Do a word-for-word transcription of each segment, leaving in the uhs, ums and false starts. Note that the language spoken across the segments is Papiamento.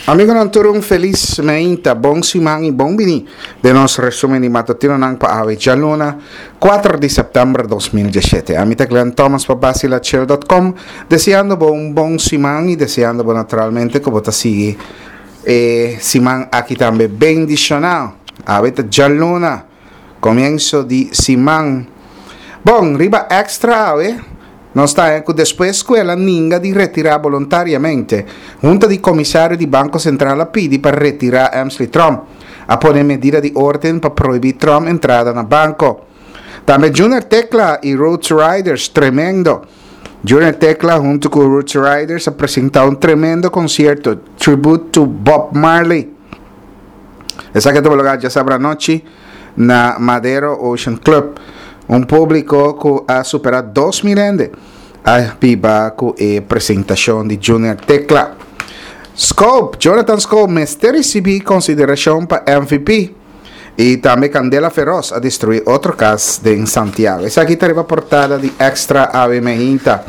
Amigonan tur un felis meinta, bon siman y bon bini den nos resumen di matutinonan pa awe djaluna kuater di september dos mil diesshete. Ami ta Glenn Thomas pa Basilachill dot com deseando bo un bon siman y deseando bo naturalmente cu bo ta sigui e siman aki tambe bendiciona. Awe ta djaluna, comienzo di siman. Bon, riba Extra awe. Nos ta haña ku despues ku el a ninga di retirá boluntariamente, Hunta di Komisario di Banko Sentral a pidi pa retirá Emsley Tromp. A pone medida di órden pa prohibí Tromp entrada na banko. Tambe Junior Tecla i Roots Riders tremendo. Junior Tecla huntu ku Roots Riders a presentá un tremendo konsierto, Tribute to Bob Marley. Esaki a tuma lugá djasabra anochi na Madero Ocean Club. Un públiko ku a superá dos mil hende a biba ku e presentashon di Junior Tecla. Scope, Jonathan Scope mester risibí konsiderashon pa M V P. I tambe kandela feros a destruí otro kas den Santiago. Esaki ta riba portada di Extra awe meinta.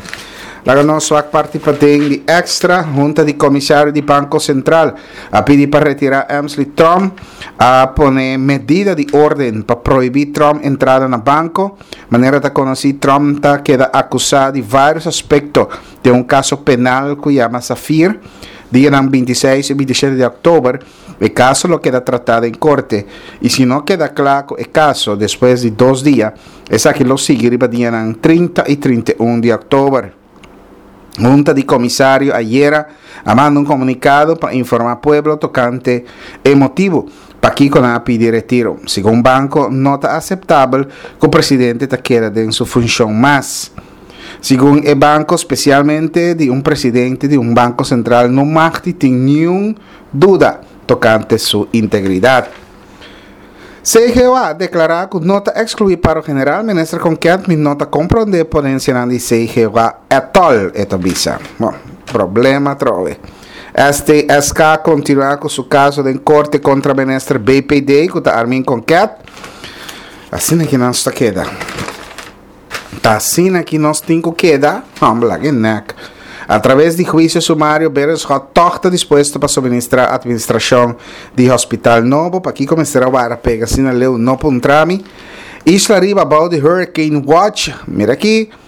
Laga nos wak parti paden di Extra. Hunta di Komisario di Banko Sentral a pidi pa retirá Emsley Tromp. A pone medida di orden pa prohibí Tromp entrada na banko. Manera ta konosí, Tromp ta keda akusá di vários aspekto den un kaso penal ku yama Safir. Dianan bintiseis i bintishete di òktober e kaso lo keda tratá den korte i si no keda kla ku e kaso despues di dos dia, esaki lo sigui riba dianan trinta i trinta i un di òktober. Hunta di Komisario ayera a manda un komunikado pa informá pueblo tokante e motibu pakiko nan a pidi retiro. Segun banko no ta aseptabel ku presidente ta keda den su funshon mas. Segun e banko, spesialmente di un presidente di un banko sentral no mag di tin niun duda tokante su integridat. C G O A a deklará ku no ta ekskluí paro general. Minister Konket, mi no ta komprondé ponensianan di C G O A etòl, e ta bisa. Bon, problema atrobe. S T S K a kontinuá ku su kaso den korte kontra minister B P D ku ta Armin Konket. Asina ki nos ta keda. Ta asina ki nos tin ku keda? Hòmber, laga e nèk. A traves di huisio sumario, Berenschot tòg ta dispuesto pa suministrá atministrashon di hospital nobo. Pakiko mester a wara pega asina leu? No puntra mi. Isla riba bou di Hurricane Watch. Mira aki,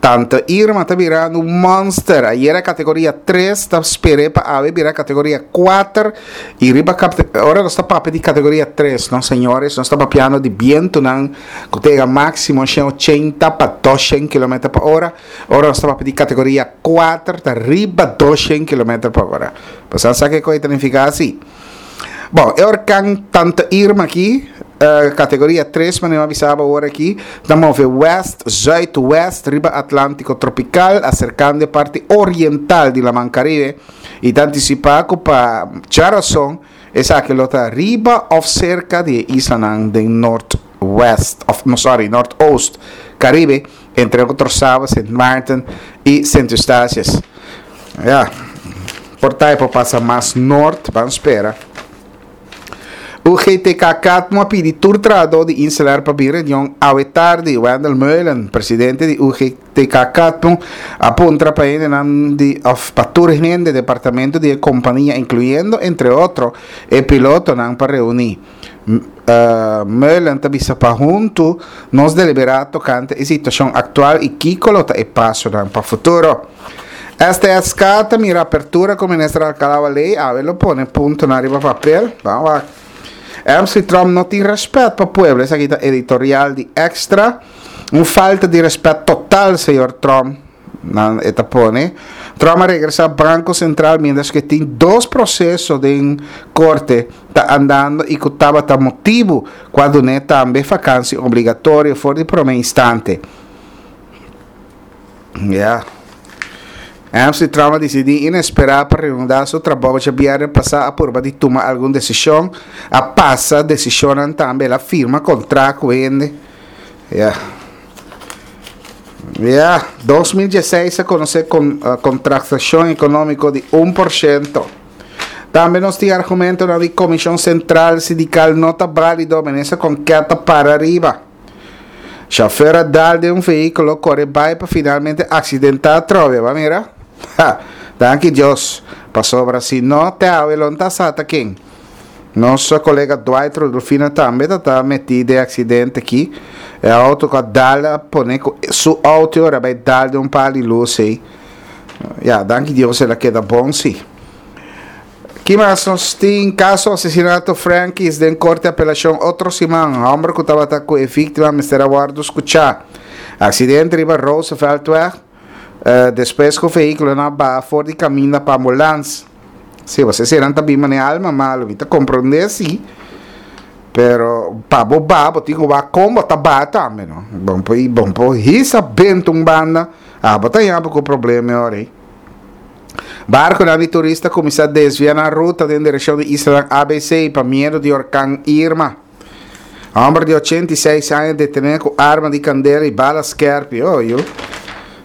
Tante Irma ta birando un monster. Ayera kategoria tres, ta sper'é pa awe bira kategoria kuater. I riba kap-, ora nos ta papia di kategoria tres, no señores, nos ta papiando di bientunan ku ta yega máksimo shen ochenta pa doshen kilometer pa ora. Ora nos ta papia di kategoria kuater, ta riba doshen kilometer pa ora. Bo sa ke koi ta nifiká asi? Bon, e orkan Tante Irma aki, eh, kategoria tres, manera mi a bisa bo awor aki, ta move west, zuidwest riba Atlantiko tropikal, aserkando e parti oriental di Laman Karibe, i ta antisipá ku pa djarason esaki lo ta riba òf serka di e islanan den noordwest, òf, no, sorry, noordoost Karibe, entre otro Saba, Sint Maarten i Sint Eustatius. Ja, por ta e por pasa mas noord, ban spera. U G T K Katmo a pidi tur trahadó di Inselair pa bin reunion awe tardi. Wendell Meulen, presidente di U G T K Katmo, a puntra pa hendenan di of pa tur hende departamento di e kompania, inkluyendo entre otro e pilotonan, pa reuní. Meulen ta bisa pa huntu nos deliberá tokante e situashon aktual i kiko lo ta e pasonan pa futuro. S T S K ta mira apertura ku Minister Alcalá Wallé awe lo pone puntonan riba papel. Ban wak. M C Tromp no tin respet pa pueblo. Esaki ta editorial di Extra. Un falta di respet total, señor Tromp. Nan e ta pone. Tromp a regresa Banco Central mientras que tin dos proceso den corte ta andando y cu tabata motibo cu a dune tambe vakantie obligatorio for di prome instante. Ja. M C Tromp a dicidi inespera pa reanudá su trabou djabièrnè pasá, a purba di tuma algun decision, a pasa decisionnan tambe, el a firma contract cu hende. Ja. Ja, dos mil dieseis a conoce con, eh, contractacion economico di un por ciento. Tambe nos tin argumentonan di Comisión Central Sindical no ta válido, minister Konket ta para riba. Chauffeur a dal den un vehículo, corre bai pa finalmente accidentá atrobe. Ba mira? Ha, danki Dios. Pasobra si no te awe lo no ta sa ta ken. Nos kolega Dwight Rudolfina tambe ta ta metí den aksidente aki. E outo ku a dal a pone ku su outo ora bai dal den un par di lus ei. Ya, danki Dios el a keda bon si. Ki mas nos tin? Kaso asesinato Frankies den korte apelashon otro siman. Hòmber ku tabata ku e víktima mester a wòrdu skuchá. Aksidente riba Rooseveltweg despues ku vehíkulonan a baha for di kaminda pa ambulans. Sí, bo eseinan ta bin manera alma malu. Mi ta komprondé sí, pero pa bo baha bo tin ku wak kon bo ta baha tambe no. Bo por bo por hisa benta un banda, abo ta yama ku problema e ora ei. Barkunan di turista kuminsá desviá nan ruta den direkshon di islanan A B C pa miedu di orkan Irma. Hòmber di ochenta i seis aña detené ku arma di kandela i bala skèrpi. Oh, yu.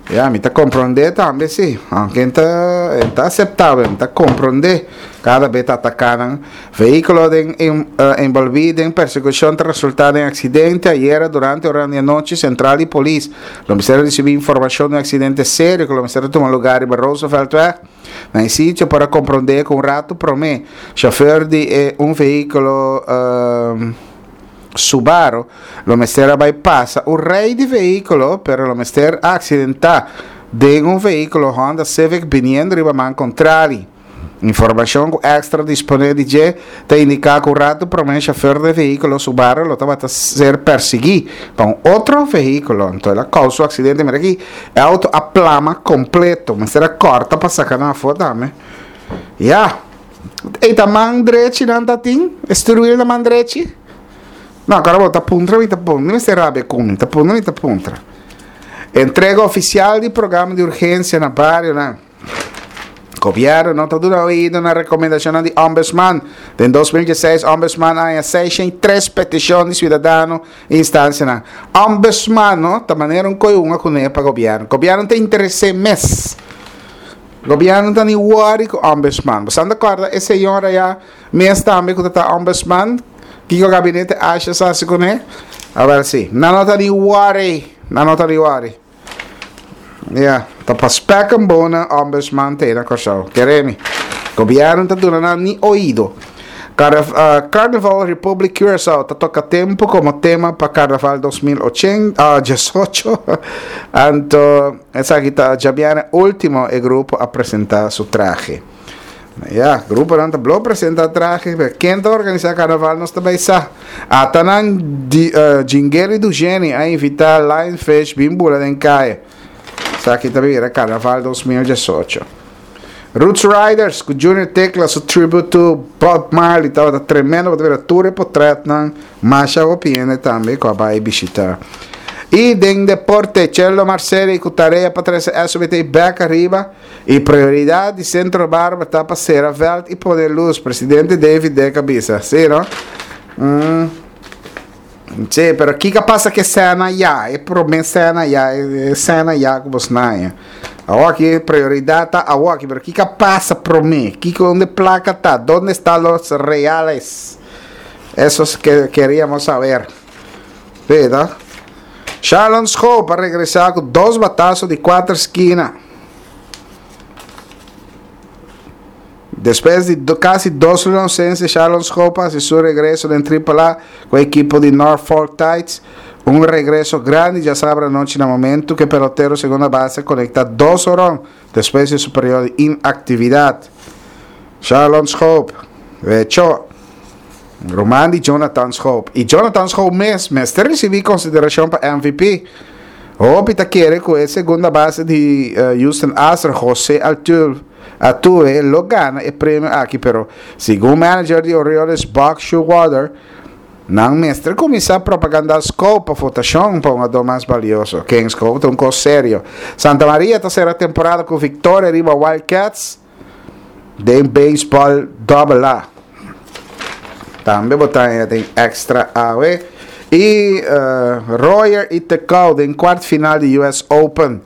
Ya, mi ta komprondé tambe si. Aunke e ta, e ta aseptabel, mi ta komprondé. Kada be ta ataká nan. Vehíkulo den enbolbí den persekushon ta resultá den aksidente ayera durante ora di anochi. Sentral di polis lo mester a risibí informashon di un aksidente serio ku lo mester a tuma lugá riba Rooseveltweg. Na e sitio por a komprondé ku un ratu promé shofèr di e un vehíkulo Subaru lo mester a bai pasa un rei di vehíkulo pero lo mester a aksidentá den un vehíkulo Honda Civic biniendo riba man kontrali. Informashon ku Extra disponé di dje ta indiká ku un ratu promé shofèr di e vehíkulo Subaru lo tabata ser persiguí pa un otro vehíkulo anto el a kousa un aksidente. Mira aki e outo a plama kompleto mester a kòrta pa saka nan afó tambe. Ya! Ei ta man drechi nan ta tin? E stuurwiel na man drechi? No, akora bo ta puntra mi ta puntra. Mi mester rabia ku mi. Ta puntra mi ta puntra. Entrega ofisial di programa di urgensia na barionan. Gobièrnu no ta duna oido na rekomendashonnan di Ombudsman. Den dos mil dieseis Ombudsman a haña seishent i tres petishon di siudadano i instansianan. Ombudsman no ta manera un koe kuné pa gobièrnu. Gobièrnu ta interes'é mes. Gobièrnu ta ni wòri ku Ombudsman. Bo sa kòrda e señora ya mes tambe ku ta ta Ombudsman? Kiko gabinete Asjes a hasi kuné? Awèl si. Nan no ta ni wòri. Nan no ta ni wòri. Ya, ta pa spek en bonen Ombudsman te na Kòrsou. Kere mi. Gobièrnu ta duna nan ni oido. Carnival Republic Curaçao ta toka tempu komo tema pa Carnaval dos mil diesocho. Anto esaki ta djabièrnè último e grupo a presentá su trahe. Ya, gruponan ta blo presentá trahe, pero ken ta organisá Carnaval nos ta bai sa. Ata nan di Jingeli Dujeni a invitá Lionfish bin bula den kaya. Esaki ta bira Carnaval dos mil diesocho. Roots Riders ku Junior Tecla su tribute to Bob Marley tabata tremendo, bo ta bira tur e potretnan masha hopi hende tambe ku a bai bishita. I den deporte, Cheldo Marceli ku tarea pa trese S B T bek ariba i prioridat di Centro Barber ta pa sera veld i pone lus, presidente David Deck a bisa. Si no? Mm. Sí, pero kiko a pasa ku e sena ya? E promé sena ya, e sena ya ku bos naña. Awoki prioridat ta awoki, pero kiko a pasa promé? Kiko donde plaka ta? Donde está los reales? Eso es que queríamos saber. Sí, no? Sharlon Schoop a regresá ku dos bataso di kuater skina. Despues di kasi dos luna ausencia, Sharlon Schoop a hasi su regreso den Triple A ku e ekipo di Norfolk Tides. Un regreso grandi djasabra anochi na momento ku e pelotero segunda base a konekta dos horon despues di su periodo di inaktividat. Sharlon Schoop, wecho, ruman di Jonathan Schoop. I Jonathan Schoop mes mester risibí konsiderashon pa M V P. Hopi ta kere ku e segunda base di Houston Astros, Jose Altuve, Altuve lo gana e premio aki, pero segun manager di Orioles Buck Showalter, nan mester kuminsá propagandá Schoop pa votashon pa un adó mas balioso. Ken Schoop ta un kos serio. Santa Maria ta sera temporada ku viktoria riba Wild Cats den beisbòl Double A. Tambe bo ta haña den Extra awe. I Royer i Tecau den kwart final di U S Open.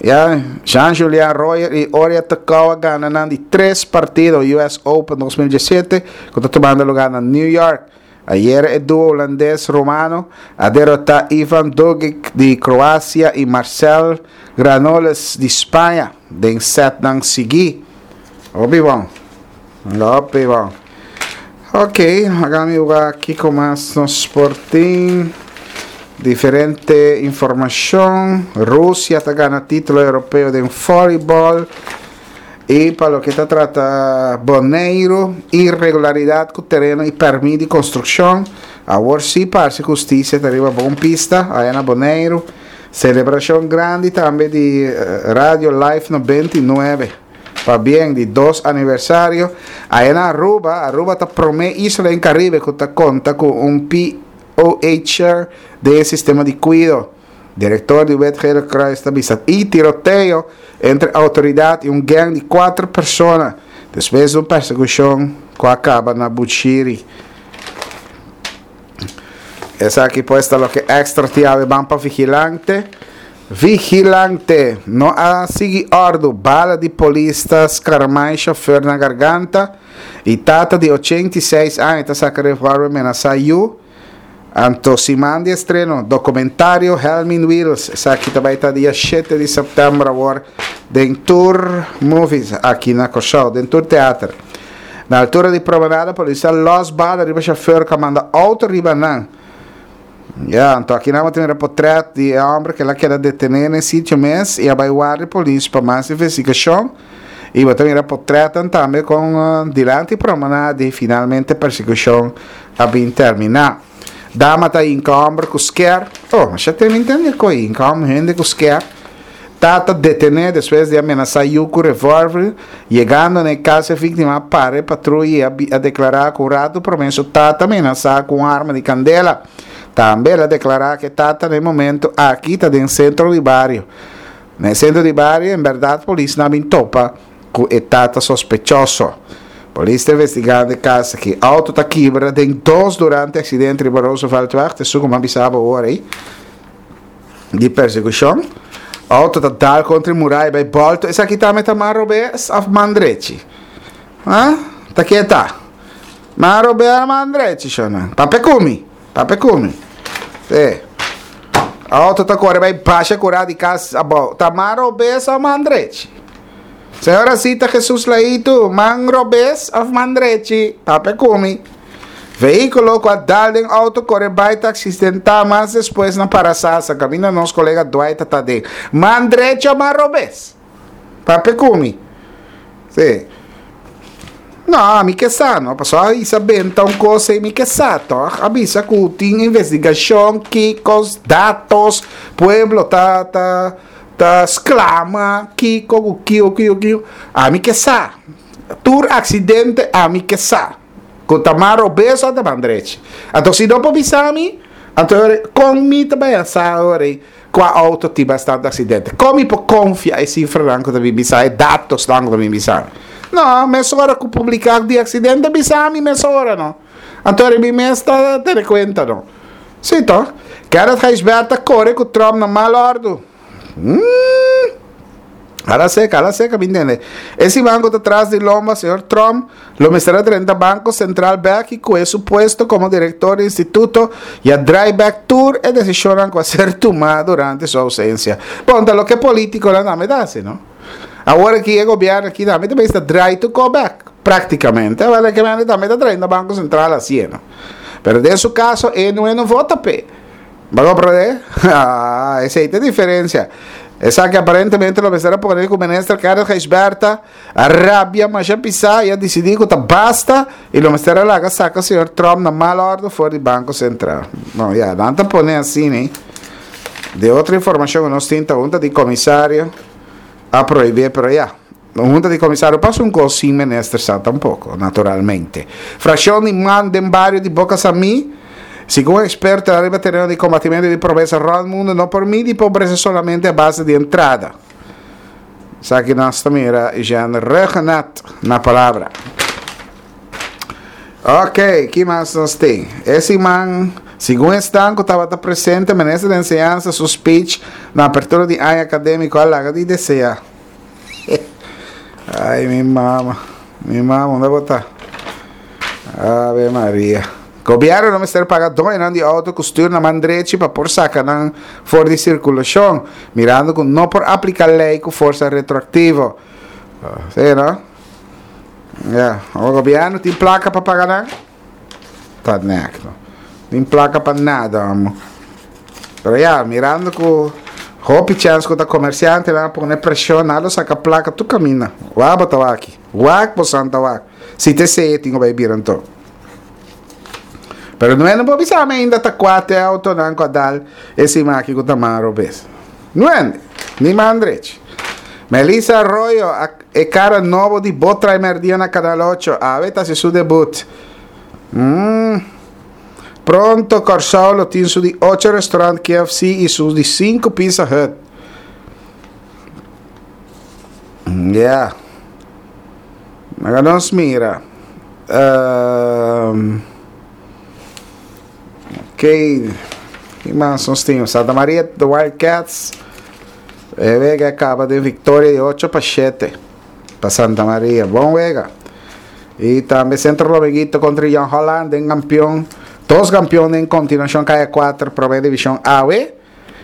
Ya, Jean-Julien Royer i Oria Tecau a gana nan di tres partido U S Open dos mil diesisiete ku ta tumando lugá na New York. Ayer e duo holandes romano a derotá Ivan Dogic di Kroasia i Marcel Granollers di Spaña den setnan sigui. Hopi bon. Hopi bon. Ok, laga mi wak kiko mas nos por tin. Diferente informashon. Rusia ta gana título europeo di voleibol. I pa loke ta trata Boneiru, irregularidat ku tereno i pèrmit di konstrukshon. Awor sí parse hustisia ta riba bon pista, aya na Boneiru. Selebrashon grandi tambe di eh, Radio Life nobenta i nuebe. Pabien di dos aniversario. Aya na Aruba, Aruba ta promé isla den Karibe ku ta konta ku un P O H chair di sistema di kuido. Direktor di Wit Gele Kruis ta bisa i tiroteo entre outoridat i un gang di kuater persona despues di un persekushon ku a kaba na Bushiri. Esaki pues ta loke Extra tin awe. Ban pa Vigilante. Vigilante no a sigui òrdu, bala di polis ta skarmai shofùr na garganta i tata di ochenta i seis aña ta saka revòlver menasá yu. Anto siman di estreno dokumentario Helmin Wiels. Esaki tambe ta dia shete di sèptèmber awor den tur movies aki na Kòrsou, den tur teater. Na altura di Promenade, polis a lòs bala riba shofùr ku a manda outo riba nan. Ja, anto aki nos tin un portrèt di e hòmber ku el a keda detené na sitio mes i a bai warda di polis pa mas investigashon. I bo tin portrèt tambe ku uh, dilanti Promenade, finalmente persekushon a bin terminá. Dama ta hinka hòmber ku sker. Oh, mas ya tin entendé ku hinka hende ku sker. Tata detené despues di a menasá yu ku revòlver, yegando na kas, e víktima a para patruya i a deklará ku ratu promé su tata a menasá ku un arma di kandela. Tambe el a deklará ku tata na momento aki ta den sentro di bario. Na sentro di bario, en berdat, polis no a bin topa ku e tata sospechoso. Polis ta investigando e kaso aki. Outo ta kibra den dos durante aksidente di Rooseveltweg, esei ku m'a bisa bo awor ei, di persekushon. Outo ta dal kontra muraya bai bòltu. Esaki tambe ta man robes òf man drechi? Ah? Ta keta. Man robes, man drechi, shona? Papia ku mi. Papia ku mi. E. Outo ta kore bai basha kura di kas abou. Ta man robes òf man drechi? Señora Cita Jesus Laito, man robes òf man drechi? Papia ku mi. Vehíkulo ku a dal den outo kore bai ta aksidentá mas despues na Parasasa. Kaminda nos kolega Dwight ta den. Man drechi òf man robes? Papia ku mi. Sí. No, mi ke sa, no? Pasó Isabel ta un kos i mi ke sa, toch? A bisa ku tin investigashon, kiko, datos, pueblo ta ta ta sklama, kiko, kiko, kiko, kiko. Ami ke sa. Tur aksidente, ami ke sa. Ku ta man robes òf ta man drechi? Anto si no por bisa mi, anto kon mi ta bai sa kua outo tin bastante aksidente? Kon mi por konfia e sifranan ku ta bisa, e datonan ku ta bisa? No, mesora ku publiká di aksidente, bisa mi mesora, no. Anto mi mes ta tene kuenta, no. Sí, toch? Kenneth Gijsbert a kore ku Trump na mal òrdu. Hum. Ala seka, ala seka, mi entendé? E banko ta tras di lomba, señor Trump, lo mester a drenta Banko Sentral bèk i ku su puesto komo direktor di instituto i a draai bèk tur e desishon ku a ser tumá durante su ousensia. Bon, ta loke polítikonan tambe ta hasi, no? Awor aki e gobièrnu aki tambe tambe ta draai tur kos bèk, práktikamente. Awor ku tambe ta trayendo Banko Sentral asina, no? Pero den su kaso, e no no vota p'e. Bo a komprondé? Ah, esei ta e diferensia. Esaki aparentemente lo mester a pone ku minister Kenneth Gijsbertha a rabia masha pisá i a disidí ku ta basta i lo mester a laga saka señor Trump na mal òrdu for di Banko Sentral. No, ya, nan ta pone asina, ne? Di otro informashon nos tin, hunta di komisario a prohibí, pero ya. Hunta di komisario pasa un kos sin minister sa tampoko, naturalmente. Frakshon di MAN den bario di Boca Sami. Segun eksperto riba tereno di kombatimentu di pobresa rònt mundu, no por midi pobresa solamente a base di entrada. Esaki nos ta mira Jean Ruggenat na palabra. Ok, ki mas nos tin? E siman, segun esnan ku tabata presente, minister di Enseñansa su speech na apertura di aña akadémiko a laga di deseá. Ai, mi mama. Mi mama, unda bo ta? Ave Maria. Gobièrnu no mester paga doño di outo ku stür na man drechi pa por saka nan for di sirkulashon, mirando ku no por apliká lei ku forsa retroaktivo. Sí, no? Ja, e gobièrnu tin plaka pa paga nan? Ta nek, no. Tin plaka pa nada, amo. Pero ya, mirando ku hopi chèns ku ta komersiante nan a pone preshon, nan lo saka plaka tur kaminda. Wak bo ta wak aki. Wak bo san ta wak. Si ta esei e tin ku bai bira anto. Pero no no por bisa mi ainda ta kua te autonan ku a dal e siman aki ku ta man robes. No hende. Ni man drechi. Melissa Arroyo, e kara nobo di Bo Trae Merdia na Kanal ocho, awe ta hasi su debut. Mm. Pronto Kòrsou lo tin su di ocho restaurant K F C i su di sinku Pizza Hut. Yeah. Laga nos mira. Um, ok. Ki mas nos tin? Santa Maria, The Wildcats. E wega a kaba den viktoria di ocho pa shete pa Santa Maria. Bon wega. I tambe Centro Dominguito kontra Jong Holland den kampion. Dos kampion den kontinuashon Kaya kuater Promé Divishon Awe.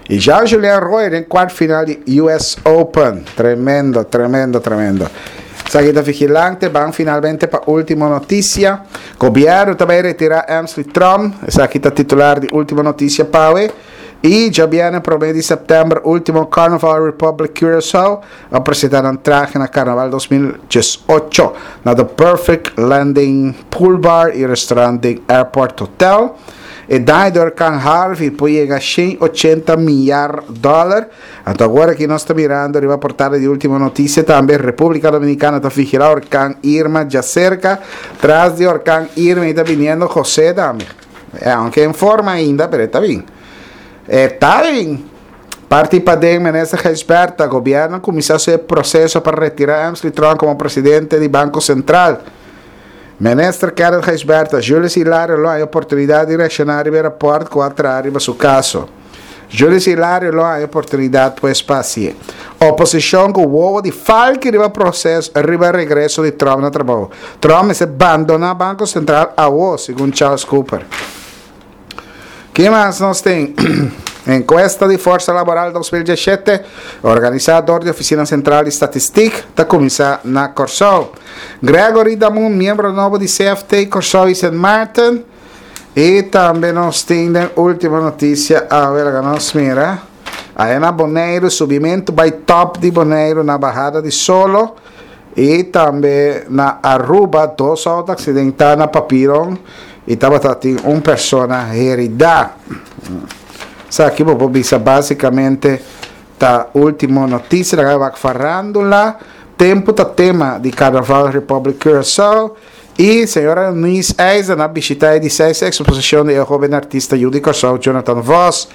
I Jean Julien Roy den kwart final di U S Open. Tremendo, tremendo, tremendo. Esaki ta Vigilante, ban finalmente pa Ultimo Noticia. Gobièrnu ta bai retirá Emsley Trump. Esaki ta titular di Ultimo Noticia p'awe. I djabièrnè promé di sèptèmber último Carnival Republic Curaçao a presentá nan trahe na Karnaval dos mil diesocho na The Perfect Landing Pool Bar i Restaurant den Airport Hotel. E daño di orkan Harvey por yega shen ochenta milyar dòler. Anto awor aki nos ta mirando riba portada di Ultimo Noticia tambe República Dominicana ta vigilá orkan Irma djaserka. Tras di orkan Irma i ta biniendo José tambe. Aunke en forma ainda, pero e ta bin. E ta bin. Parti paden Minister Gijsbertha, gobièrnu a kuminsá su e proseso pa retirá Emsley Trump komo presidente di Banko Sentral. Minister Kenneth Gijsbertha, Julius Hilario lo haña oportunidat di reakshoná riba e rapòrt ku a traha riba su kaso. Julius Hilario lo haña oportunidat pues pa hasié. Oposishon ku wowo di falki riba proseso riba regreso di Trump na trabou. Trump mester bandoná Banko Sentral awo, segun Charles Cooper. Ki mas nos tin? Enkuesta di Forsa Laboral dos mil diesshete, organisá dor di Ofisina Sentral di Statistik, ta kuminsá na Kòrsou. Gregory Damun, miembro nobo di C F T Kòrsou i Sint Maarten. I tambe nos tin den Ultimo Notisia awe, laga nos mira. Aya na Boneiru, subimentu bai tòp di Boneiru na bahada di solo. I tambe na Aruba, dos outo aksidentá na Papiron i tabata tin un persona heridá. Esaki bo por bisa básikamente ta Ultimo Notisia. Laga wak farándula. Tempu ta tema di Carnaval Republic Curaçao. I señora Eunice IJzer a bishitá e di seis eksposishon di e hóben artista yu di Kòrsou Jonathan Vos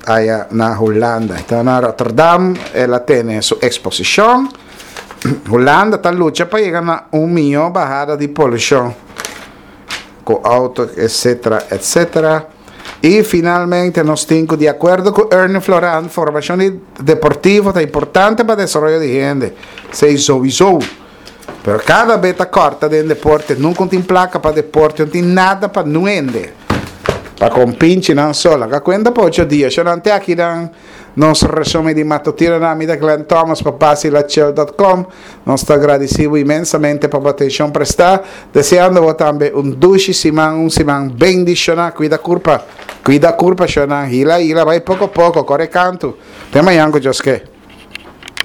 aya na Hulanda. Ta na Rotterdam el a tene su eksposishon. Hulanda ta lucha pa yega na un mihó bahada di polushon ku outo, etcétera, etcétera. I finalmente nos tin ku di akuerdo ku Ernie Floran, formashon di deportivo ta importante pa desaroyo di hende. Esei souiso. Pero kada bes ta kòrta den deporte, nunka un tin plaka pa deporte, no tin nada pa nu hende. Pa kompinchinan so, laga kuenta pa ocho dia. Shonnan te akinan nos resumen di matutino na ami ta Glenn Thomas pa basilachel punto com. Nos ta agradesí bo inmensamente pa bo atenshon prestá, deseando bo tambe un dushi siman, un siman bendishoná. Kuida kurpa, kuida kurpa shonnan, hila hila, bai poko poko, kore kantu. Te mañan ku Dios ke.